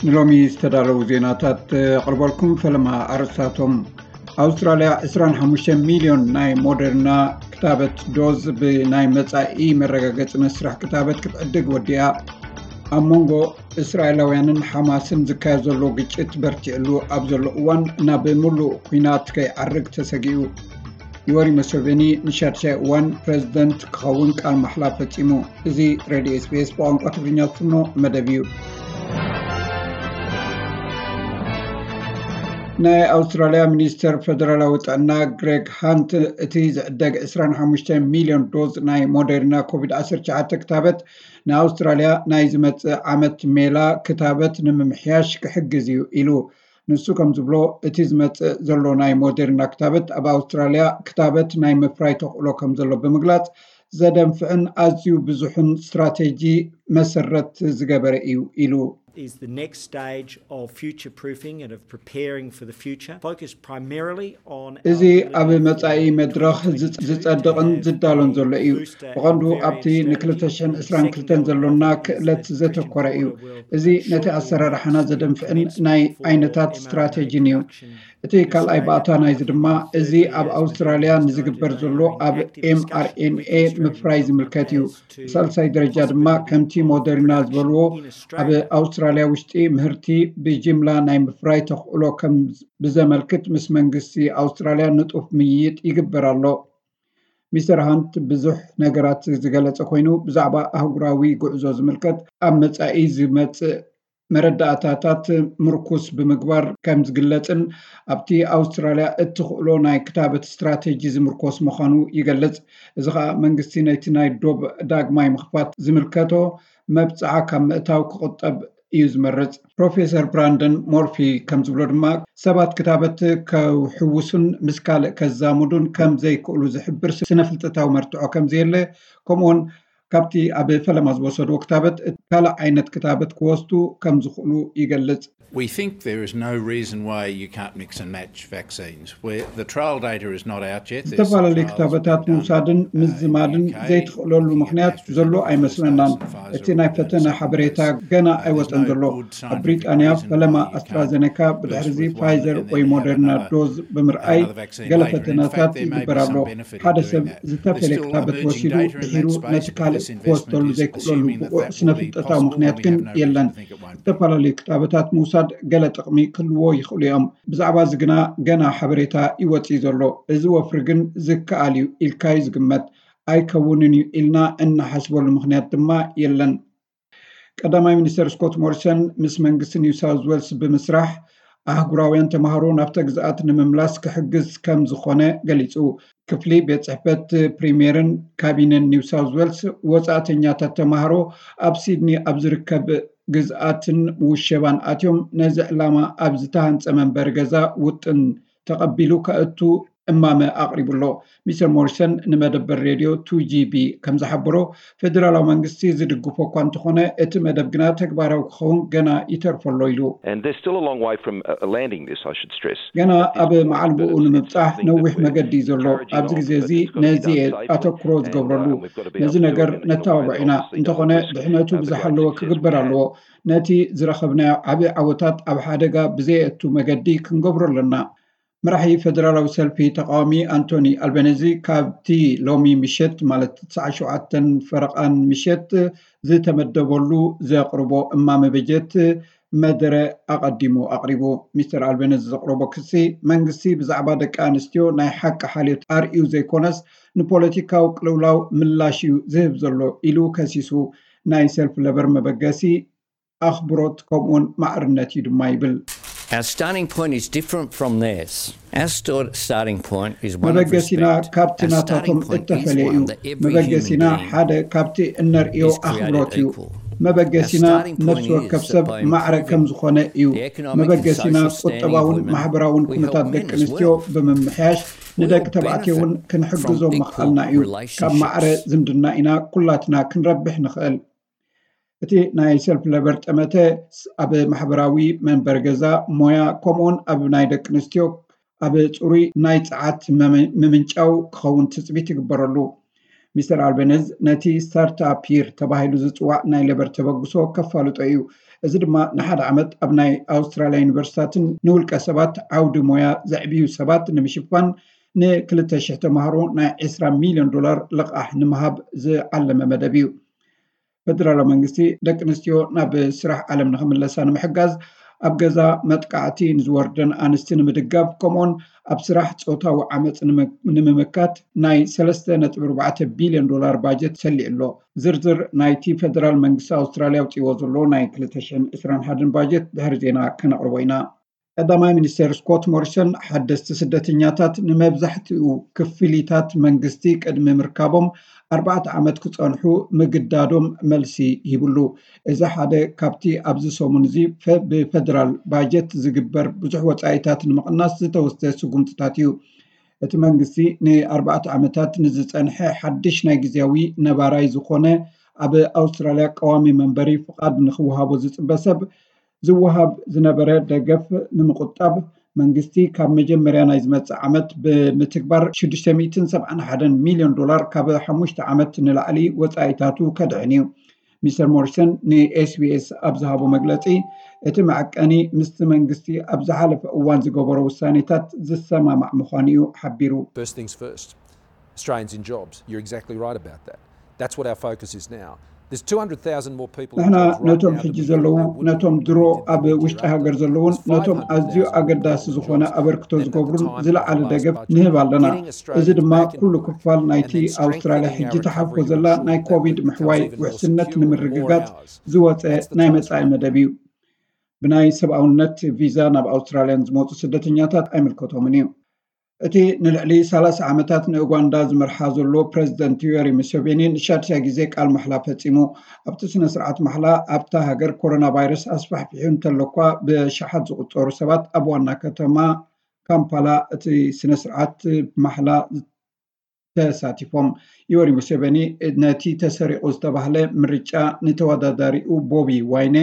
ንሎሚ ዝተዳለዉ ዜናታት ኣቕርበልኩም። ፈለማ ኣርእስታቶም። ኣውስትራልያ ዕስራን ሓሙሽተ ሚልዮን ናይ ሞደርና ክታበት ዶዝ ብናይ መጻኢ መረጋገጺ መስርሕ ክታበት ክትዕድግ ወዲኣ። ኣብ መንጎ እስራኤላውያንን ሓማስን ዝካየድ ዘሎ ግጭት በርቲዕሉ ኣብ ዘሎ እዋን፣ ናብ ምሉእ ኲናት ከይዓርግ ተሰጊኡ። ዮወሪ ሙሰቬኒ ንሻድሻይ እዋን ፕረዚደንት ክኸውን ቃል ማሕላ ፈጺሙ። እዚ ሬድዮ ኤስቢኤስ ብቋንቋ ትግርኛ ዝፍኖ መደብ እዩ። ናይ ኣውስትራልያ ሚኒስተር ፈደራላዊ ጥዕና ግሬግ ሃንት፣ እቲ ዝዕደግ ዕስራን ሓሙሽተ ሚልዮን ዶዝ ናይ ሞደርና ኮቪድ ዓሰርተ ትሽዓተ ክታበት ንኣውስትራልያ ናይ ዝመጽእ ዓመት ሜላ ክታበት ንምምሕያሽ ክሕግዝ እዩ ኢሉ። ንሱ ከም ዝብሎ፣ እቲ ዝመጽእ ዘሎ ናይ ሞደርና ክታበት ኣብ ኣውስትራልያ ክታበት ናይ ምፍራይ ተኽእሎ ከም ዘሎ ብምግላጽ፣ ዘደንፍዕን ኣዝዩ ብዙሕን ስትራቴጂ መሰረት ዝገበረ እዩ ኢሉ። Is the next stage of future proofing and of preparing for the future, focused primarily on እዚ ኣብ መጻኢ መድረኽ ዝጸድቕን ዝዳሎን ዘሎ እዩ። ብቐንዱ ኣብቲ ን ክልተ ሽሕን ዕስራን ክልተን ዘሎና ክእለት ዘተኮረ እዩ። እዚ ነቲ ኣሰራርሓና ዘደንፍዕን ናይ ዓይነታት ስትራቴጂን እዩ። እቲ ካልኣይ ባእታ ናይዚ ድማ፣ እዚ ኣብ ኣውስትራልያ ንዝግበር ዘሎ ኣብ ኤምኣርኤንኤ ምፍራይ ዝምልከት እዩ። ሳልሳይ ደረጃ ድማ፣ ከምቲ ሞደርና ዝበልዎ፣ ኣብ ኣውስትራልያ ውሽጢ ምህርቲ ብጅምላ ናይ ምፍራይ ተኽእሎ ከም ብዘመልክት ምስ መንግስቲ ኣውስትራልያ ንጡፍ ምይይጥ ይግበር ኣሎ። ሚስተር ሃንት ብዙሕ ነገራት ዝገለጸ ኮይኑ፣ ብዛዕባ ኣህጉራዊ ጉዕዞ ዝምልከት ኣብ መጻኢ ዝመጽእ መረዳእታታት ምርኩስ ብምግባር ከም ዝግለጽን፣ ኣብቲ ኣውስትራልያ እትኽእሎ ናይ ክታበት ስትራቴጂ ዝምርኮስ ምዃኑ ይገልጽ። እዚ ኸኣ መንግስቲ ነቲ ናይ ዶብ ዳግማይ ምኽፋት ዝምልከቶ መብጽዓ ካብ ምእታው ክቑጠብ እዩ ዝመርጽ። ፕሮፌሰር ብራንደን ሞርፊ ከም ዝብሎ ድማ፣ ሰባት ክታበት ከውሕውሱን ምስ ካልእ ከዛምዱን ከም ዘይክእሉ ዝሕብር ስነ ፍልጠታዊ መርትዖ ከም ዘየለ፣ ከምኡውን ካብቲ ኣብ ፈለማ ዝወሰድዎ ክታበት እቲ ካልእ ዓይነት ክታበት ክወስዱ ከም ዝኽእሉ ይገልጽ። We think there is no reason why you can't mix and match vaccines. Where the trial data is not out yet, there's some ዝተፈላለዩ trials ክታበታት being done, ምውሳድን uh, in the ምዝማድን U K, ዘይትኽእለሉ looking at ምኽንያት ዘሎ AstraZeneca, ኣይመስለናን። Pfizer, እቲ ናይ all ፈተነ those ሓበሬታ companies. ገና Uh, there's ኣይወጸን no ዘሎ። good ኣብ scientific ብሪጣንያ reason ፈለማ why you can't ኣስትራዘነካ ብድሕሪ burst እዚ with one ፋይዘር and then ወይ have another ዶዝ ብምርኣይ another vaccine ገለ later. And in ፈተነታት fact, there may be ይግበር some ኣሎ። benefit. ሓደ There's ሰብ still ዝተፈለየ emerging ክታበት data in ወሲዱ that space, ድሒሩ but ነቲ it's ካልእ just investment ክወስደሉ is ዘይክእለሉ assuming that ብቑዕ that ስነ will be ፍልጠታዊ possible, ምኽንያት and we ግን have no reason የለን። to think it won't be. ዝተፈላለዩ ክታበታት ምውሳድ ገለ ጥቕሚ ክህልዎ ይኽእሉ እዮም። ብዛዕባ እዚ ግና ገና ሓበሬታ ይወጽእ ዘሎ። እዚ ወፍሪ ግን ዝከኣል እዩ ኢልካ እዩ ዝግመት። ኣይከውንን እዩ ኢልና እንሓስበሉ ምኽንያት ድማ የለን። ቀዳማይ ሚኒስተር ስኮት ሞሪሰን ምስ መንግስቲ ኒው ሳውዝ ዌልስ ብምስራሕ፣ ኣህጉራውያን ተማሃሮ ናብታ ግዝኣት ንምምላስ ክሕግዝ ከም ዝኾነ ገሊጹ። ክፍሊ ቤት ጽሕፈት ፕሪምየርን ካቢነን ኒው ሳውዝ ዌልስ፣ ወጻእተኛታት ተማሃሮ ኣብ ሲድኒ ኣብ ዝርከብ ግዝኣትን ውሸባን ኣትዮም ነዚ ዕላማ ኣብ ዝተሃንጸ መንበሪ ገዛ ውጥን ተቐቢሉ ከእቱ እማመ ኣቕሪቡ ኣሎ። ሚስተር ሞሪሰን ንመደበር ሬድዮ ቱ ጂ ቢ ከም ዝሓበሮ፣ ፌደራላዊ መንግስቲ ዝድግፎ እኳ እንተኾነ፣ እቲ መደብ ግና ተግባራዊ ክኸውን ገና ይተርፎ ኣሎ ኢሉ። And there's still a long way from uh, landing this, I should stress. ገና ኣብ መዓልቦኡ ንምብጻሕ ነዊሕ መገዲ እዩ ዘሎ። ኣብዚ ግዜ እዚ ነዚ እየ ኣተኩሮ ዝገብረሉ። ነዚ ነገር ነተባብዖ ኢና። እንተኾነ ድሕነቱ ብዝሓለወ ክግበር ኣለዎ። ነቲ ዝረኸብናዮ ዓቢ ዓወታት ኣብ ሓደጋ ብዘየእቱ መገዲ ክንገብሮ ኣለና። መራሒ ፌደራላዊ ሰልፊ ተቃዋሚ ኣንቶኒ ኣልበነዚ፣ ካብቲ ሎሚ ምሸት ማለት ትስዓን ሸውዓተን ፈረቓን ምሸት ዝተመደበሉ ዘቕርቦ እማመ በጀት መደረ ኣቐዲሙ ኣቕሪቡ። ሚስተር ኣልበነዚ ዘቕረቦ ክሲ፣ መንግስቲ ብዛዕባ ደቂ ኣንስትዮ ናይ ሓቂ ሓልዮት ኣርእዩ ዘይኮነስ፣ ንፖለቲካዊ ቅልውላው ምላሽ እዩ ዝህብ ዘሎ ኢሉ ከሲሱ። ናይ ሰልፊ ለበር መበገሲ ኣኽብሮት ከምኡውን ማዕርነት እዩ ድማ ይብል። Our starting point is different from theirs. Our sto- starting point is one of መበገሲና respect. ካብቲ Our ናታቶም starting point is እተፈለየ እዩ። one that every human መበገሲና being ሓደ ካብቲ እነርእዮ is created ኣኽብሮት እዩ። equal. መበገሲና Our starting point ነፍሲ ወከፍ is ሰብ that by ማዕረ improving ከም ዝኾነ እዩ። the economic and መበገሲና social standing of ቁጠባውን women, ማሕበራውን we help ኩነታት men ደቂ as ኣንስትዮ well. ብምምሕያሽ፣ We ንደቂ all ተባዕትዮ እውን benefit ክንሕግዞም from ምኽኣልና equal እዩ። ካብ relationships. ማዕረ ዝምድና ኢና ኩላትና ክንረብሕ ንኽእል። እቲ ናይ ሰልፊ ለበር ጠመተ፣ ኣብ ማሕበራዊ መንበሪ ገዛ፣ ሞያ፣ ከምኡውን ኣብ ናይ ደቂ ኣንስትዮ ኣብ ጽሩይ ናይ ጸዓት መም- ምምንጫው ክኸውን ትጽቢት ይግበረሉ። ሚስተር ኣልበነዝ ነቲ ስታርትኣፕ ይር ተባሂሉ ዝፅዋዕ ናይ ሌበር ተበግሶ ከፋልጦ እዩ። እዚ ድማ ንሓደ ዓመት ኣብ ናይ ኣውስትራልያ ዩኒቨርሲታትን ንውልቀ ሰባት ዓውዲ ሞያ ዘዕብዩ ሰባት ንምሽፋን ንክልተ ሽሕ ተምሃሮ ናይ ዕስራ ሚልዮን ዶላር ልቓሕ ንምሃብ ዝዓለመ መደብ እዩ። ፈደራላዊ መንግስቲ ደቂ ኣንስትዮ ናብ ስራሕ ዓለም ንክምለሳ ንምሕጋዝ፣ ኣብ ገዛ መጥቃዕቲ ንዝወርደን ኣንስቲ ንምድጋፍ፣ ከምኡውን ኣብ ስራሕ ፆታዊ ዓመፅ ንምምካት ናይ ሰለስተ ነጥቢ ኣርባዕተ ቢልዮን ዶላር ባጀት ሰሊዑ ኣሎ። ዝርዝር ናይቲ ፈደራል መንግስቲ ኣውስትራልያ ኣውፅዎ ዘሎ ናይ ክልተ ሽሕን ዕስራን ሓደን ባጀት ድሕሪ ዜና ከነቕርቦ ኢና። ቀዳማይ ሚኒስተር ስኮት ሞሪሰን ሓደስቲ ስደተኛታት ንመብዛሕትኡ ክፍሊታት መንግስቲ ቅድሚ ምርካቦም ኣርባዕተ ዓመት ክጸንሑ ምግዳዶም መልሲ ሂብሉ። እዚ ሓደ ካብቲ ኣብዚ ሰሙን እዚ ብፈደራል ባጀት ዝግበር ብዙሕ ወጻኢታት ንምቕናስ ዝተወስደ ስጉምትታት እዩ። እቲ መንግስቲ ንኣርባዕተ ዓመታት ንዝጸንሐ ሓድሽ ናይ ግዜያዊ ነባራይ ዝኾነ ኣብ ኣውስትራልያ ቀዋሚ መንበሪ ፍቓድ ንክወሃቦ ዝጽበ ሰብ ዝወሃብ ዝነበረ ደገፍ ንምቁጣብ መንግስቲ ካብ መጀመርያ ናይ ዝመጽእ ዓመት ብምትግባር ሽዱሽተ ሚእትን ሰብዓን ሓደን ሚልዮን ዶላር ካብ ሓሙሽተ ዓመት ንላዕሊ ወጻኢታቱ ከድሕን እዩ። ሚስተር ሞሪሰን ንኤስቢኤስ ኣብ ዝሃቦ መግለጺ፣ እቲ መዐቀኒ ምስቲ መንግስቲ ኣብ ዝሓለፈ እዋን ዝገበሮ ውሳኔታት ዝሰማማዕ ምዃኑ እዩ ሓቢሩ። First things first. Australians in jobs. You're exactly right about that. That's what our focus is now. There's two hundred thousand more people in ንሕና jobs right ነቶም now than ሕጂ we thought ዘለዉ there would be ነቶም a ድሮ year ago. ኣብ ውሽጢ ሃገር ዘለውን ነቶም ኣዝዩ ኣገዳሲ ዝኾነ ኣበርክቶ ዝገብሩን ዝለዓለ ደገፍ ንህብ ኣለና። እዚ ድማ ኩሉ ክፋል ናይቲ ኣውስትራልያ ሕጂ ተሓልፎ ዘላ ናይ ኮቪድ ምሕዋይ ውሕስነት ንምርግጋጽ ዝወፀ ናይ መጻኢ መደብ እዩ። ብናይ ሰብኣውነት ቪዛ ናብ ኣውስትራልያ ንዝመፁ ስደተኛታት ኣይምልከቶምን እዩ። እቲ ንልዕሊ ሰላሳ ዓመታት ንኡጋንዳ ዝመርሓ ዘሎ ፕረዚደንት ዩወሪ ሙሴቬኒ ንሻድሻይ ግዜ ቃል ማሕላ ፈጺሙ። ኣብቲ ስነ ስርዓት ማሕላ ኣብታ ሃገር ኮሮና ቫይረስ ኣስፋሕፊሑ እንተሎኳ ብኣሽሓት ዝቑጸሩ ሰባት ኣብ ዋና ከተማ ካምፓላ እቲ ስነ ስርዓት ማሕላ ተሳቲፎም። ዩወሪ ሙሴቬኒ ነቲ ተሰሪቑ ዝተባህለ ምርጫ ንተወዳዳሪኡ ቦቢ ዋይነ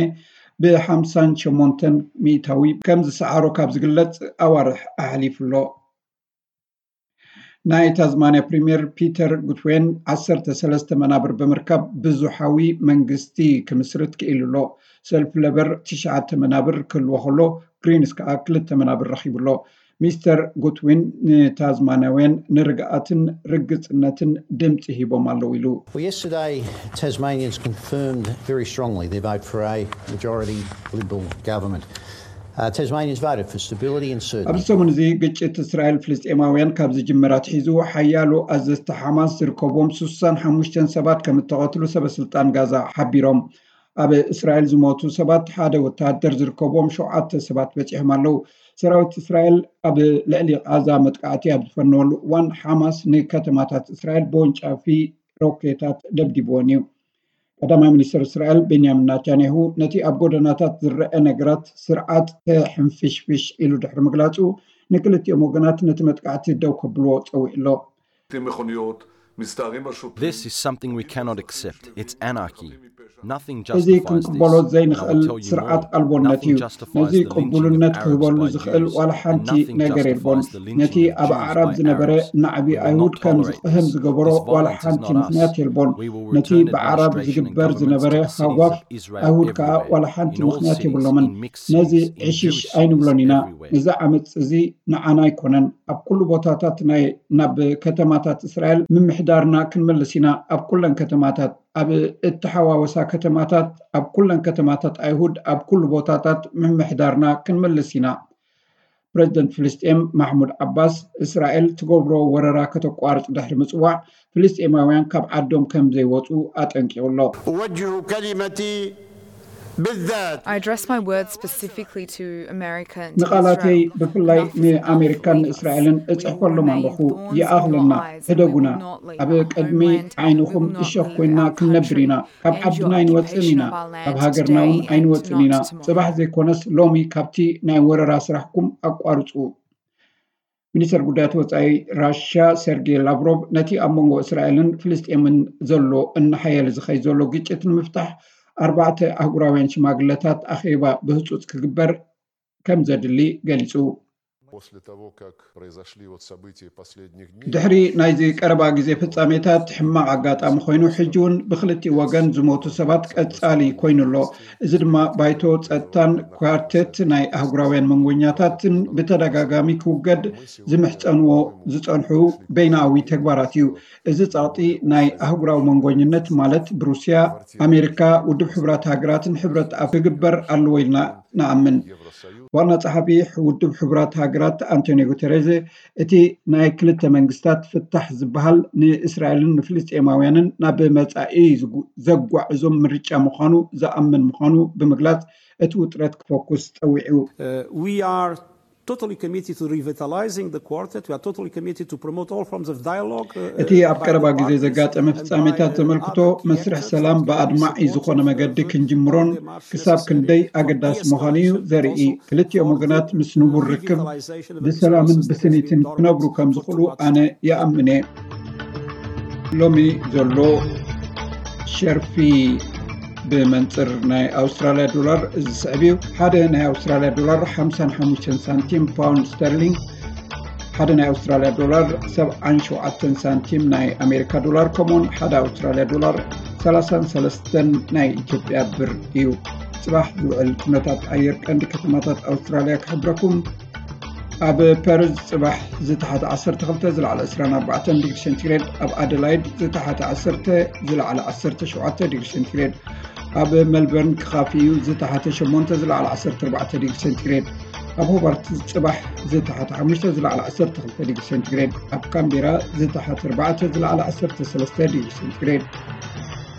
ብሓምሳን ሸሞንተን ሚእታዊ ከም ዝሰዓሮ ካብ ዝግለጽ ኣዋርሕ ኣሕሊፉ ኣሎ። ናይ ታዝማንያ ፕሪምየር ፒተር ጉትዌን ዓሰርተ ሰለስተ መናብር ብምርካብ ብዙሓዊ መንግስቲ ክምስርት ክኢሉ ኣሎ። ሰልፊ ለበር ትሽዓተ መናብር ክህልዎ ከሎ፣ ግሪንስ ከኣ ክልተ መናብር ረኺቡ ኣሎ። ሚስተር ጉትዊን ንታዝማንያውያን ንርግኣትን ርግጽነትን ድምጺ ሂቦም ኣለዉ ኢሉ። Well, yesterday, Tasmanians confirmed very strongly their vote for a majority Liberal government. Uh, Tasmanians voted for stability and ኣብዚ certainty. ሰሙን እዚ ግጭት እስራኤል ፍልስጤማውያን ካብ ዝጅምር ኣትሒዙ ሓያሎ ኣዘዝቲ ሓማስ ዝርከቦም ስሳን ሓሙሽተን ሰባት ከም እተቐትሉ ሰበስልጣን ጋዛ ሓቢሮም። ኣብ እስራኤል ዝሞቱ ሰባት ሓደ ወተሃደር ዝርከቦም ሸውዓተ ሰባት በጺሖም ኣለዉ። ሰራዊት እስራኤል ኣብ ልዕሊ ቃዛ መጥቃዕቲ ኣብ ዝፈነወሉ እዋን ሓማስ ንከተማታት እስራኤል ብወንጫፊ ሮኬታት ደብዲብወን እዩ። ቀዳማይ ሚኒስትር እስራኤል ቤንያሚን ናታንያሁ ነቲ ኣብ ጎደናታት ዝረአ ነገራት ስርዓት ተሕንፍሽፍሽ ኢሉ ድሕሪ ምግላጹ ንክልቲኦም ወገናት ነቲ መጥቃዕቲ ደው ከብልዎ ጸዊዑ ኣሎ። מכוניות, מסתערים על שוטרים. This is something we cannot accept. It's anarchy. Nothing እዚ justifies ክንቅበሎ this. And I ዘይንኽእል will tell you ስርዓት more. ኣልቦነት እዩ። Nothing justifies ነዚ the lynching of ቅቡልነት Arabs ክህበሉ by ዝኽእል Jews, ዋላ and ሓንቲ nothing ነገር የልቦን። justifies the lynching ነቲ of ኣብ Jews ኣዕራብ by ዝነበረ Arabs. ናዕቢ We will ኣይሁድ not ከም tolerate ዝቕህም this. ዝገበሮ This ዋላ violence is ሓንቲ not us. ምኽንያት የልቦን። We will ነቲ return ብዓራብ administration ዝግበር and ዝነበረ government to ሃጓፍ citizens of Israel ኣይሁድ ከኣ everywhere. ዋላ ሓንቲ In all ምኽንያት cities, የብሎምን። in mixed ነዚ cities, in ዕሽሽ Jewish ኣይንብሎን cities, ኢና። everywhere. እዚ ዓመፅ እዚ ንዓና ኣይኮነን፣ ኣብ ኩሉ ቦታታት ናይ ናብ ከተማታት እስራኤል ምምሕዳርና ክንመልስ ኢና። ኣብ ኩለን ከተማታት፣ ኣብ እተሓዋወሳ ከተማታት፣ ኣብ ኩለን ከተማታት ኣይሁድ፣ ኣብ ኩሉ ቦታታት ምምሕዳርና ክንመልስ ኢና። ፕረዚደንት ፍልስጤም ማሕሙድ ዓባስ እስራኤል ትገብሮ ወረራ ከተቋርጽ ድሕሪ ምጽዋዕ፣ ፍልስጤማውያን ካብ ዓዶም ከም ዘይወጹ ኣጠንቂቑ ኣሎ። أوجه كلمتي بالذات I address my words specifically to America and ንቓላተይ Israel. ብፍላይ Enough is ንኣሜሪካን enough. ንእስራኤልን We will እጽሕፈሎም remain ኣለኹ። thorns in your ይኣኽለና፣ eyes and ሕደጉና። will not leave ኣብ our ቅድሚ homeland. We ዓይንኹም will not እሸኽ leave ኮይና our ክንነብር ኢና። country ካብ and ዓድና your ኣይንወጽእን occupation ኢና። of our land ካብ ሃገርና እውን today and ኣይንወጽእን ኢና። not tomorrow. ጽባሕ ዘይኮነስ ሎሚ ካብቲ ናይ ወረራ ስራሕኩም ኣቋርጹ። ሚኒስተር ጉዳያት ወጻኢ ራሽያ ሰርጌይ ላቭሮቭ ነቲ ኣብ መንጎ እስራኤልን ፍልስጤምን ዘሎ እናሓየለ ዝኸይድ ዘሎ ግጭት ንምፍታሕ ኣርባዕተ ኣህጉራውያን ሽማግለታት ኣኼባ ብህጹጽ ክግበር ከም ዘድሊ ገሊጹ። после того, как произошли вот события последних дней. ድሕሪ ናይዚ ቀረባ ግዜ ፍጻሜታት ሕማቕ ኣጋጣሚ ኮይኑ፣ ሕጂ እውን ብክልቲኡ ወገን ዝሞቱ ሰባት ቀጻሊ ኮይኑ ኣሎ። እዚ ድማ ባይቶ ጸጥታን ኳርቴት ናይ ኣህጉራውያን መንጎኛታትን ብተደጋጋሚ ክውገድ ዝምሕጸንዎ ዝጸንሑ በይናዊ ተግባራት እዩ። እዚ ጸቕጢ ናይ ኣህጉራዊ መንጎኝነት፣ ማለት ብሩስያ፣ ኣሜሪካ፣ ውድብ ሕቡራት ሃገራትን ሕብረት ኣፍ ክግበር ኣለዎ ኢልና ንኣምን። ዋና ጸሓፊ ውድብ ሕቡራት ሃገራት ኣንቶኒዮ ጉተሬዝ፣ እቲ ናይ ክልተ መንግስታት ፍታሕ ዝበሃል ንእስራኤልን ንፍልስጤማውያንን ናብ መጻኢ ዘጓዕዞም ምርጫ ምዃኑ ዝኣምን ምዃኑ ብምግላጽ፣ እቲ ውጥረት ክፈኩስ ጸዊዑ። We are totally committed to revitalizing the quartet. We are totally committed to promote all forms of dialogue. እቲ ኣብ ቀረባ ግዜ ዘጋጠመ ፍጻሜታት ዘመልክቶ፣ መስርሕ ሰላም ብኣድማዒ ዝኾነ መገዲ ክንጅምሮን ክሳብ ክንደይ ኣገዳሲ ምዃኑ እዩ ዘርኢ። ክልቲኦም ወገናት ምስ ንቡር ርክብ ብሰላምን ብስኒትን ክነብሩ ከም ዝኽእሉ ኣነ ይኣምን እየ። ሎሚ ዘሎ ሸርፊ ብመንፅር ናይ ኣውስትራልያ ዶላር እዚ ስዕብ እዩ። ሓደ ናይ ኣውስትራልያ ዶላር ሓምሳን ሓሙሽተን ሳንቲም ፓውንድ ስተርሊንግ፣ ሓደ ናይ ኣውስትራልያ ዶላር ሰብዓን ሸውዓተን ሳንቲም ናይ ኣሜሪካ ዶላር፣ ከምኡውን ሓደ ኣውስትራልያ ዶላር ሰላሳን ሰለስተን ናይ ኢትዮጵያ ብር እዩ። ጽባሕ ዝውዕል ኩነታት ኣየር ቀንዲ ከተማታት ኣውስትራልያ ክሕብረኩም። ኣብ ፐርዝ ጽባሕ ዝተሓተ ዓሰርተ ክልተ ዝለዓለ ዕስራን ኣርባዕተን ዲግሪ ሴንቲግሬድ፣ ኣብ ኣደላይድ ዝተሓተ ዓሰርተ ዝለዓለ ዓሰርተ ሸውዓተ ዲግሪ ሴንቲግሬድ፣ ኣብ መልበርን ክኻፊ እዩ ዝተሓተ ሸሞንተ ዝለዓለ ዓሰርተ ኣርባዕተ ዲግሪ ሴንቲግሬድ፣ ኣብ ሆባርት ጽባሕ ዝተሓተ ሓሙሽተ ዝለዓለ ዓሰርተ ክልተ ዲግሪ ሴንቲግሬድ፣ ኣብ ካምቤራ ዝተሓተ ኣርባዕተ ዝለዓለ ዓሰርተ ሰለስተ ዲግሪ ሴንቲግሬድ፣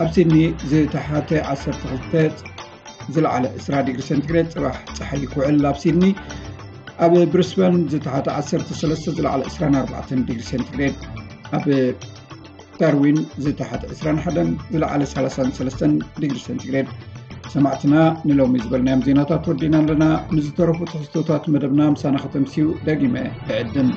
ኣብ ሲድኒ ዝተሓተ ዓሰርተ ክልተ ዝለዓለ ዕስራ ዲግሪ ሴንቲግሬድ ጽባሕ ጸሓይ ክውዕል ኣብ ሲድኒ፣ ኣብ ብሪስበን ዝተሓተ ዓሰርተ ሰለስተ ዝለዓለ ዕስራን ኣርባዕተን ዲግሪ ሴንቲግሬድ፣ ኣብ ዳርዊን ዝተሓተ ዕስራን ሓደን ዝለዓለ ሰላሳን ሰለስተን ዲግሪ ሴንቲግሬድ። ሰማዕትና ንሎሚ ዝበልናዮም ዜናታት ወዲና ኣለና። ንዝተረፉ ትሕዝቶታት መደብና ምሳና ከተምስዩ ደጊመ እዕድም።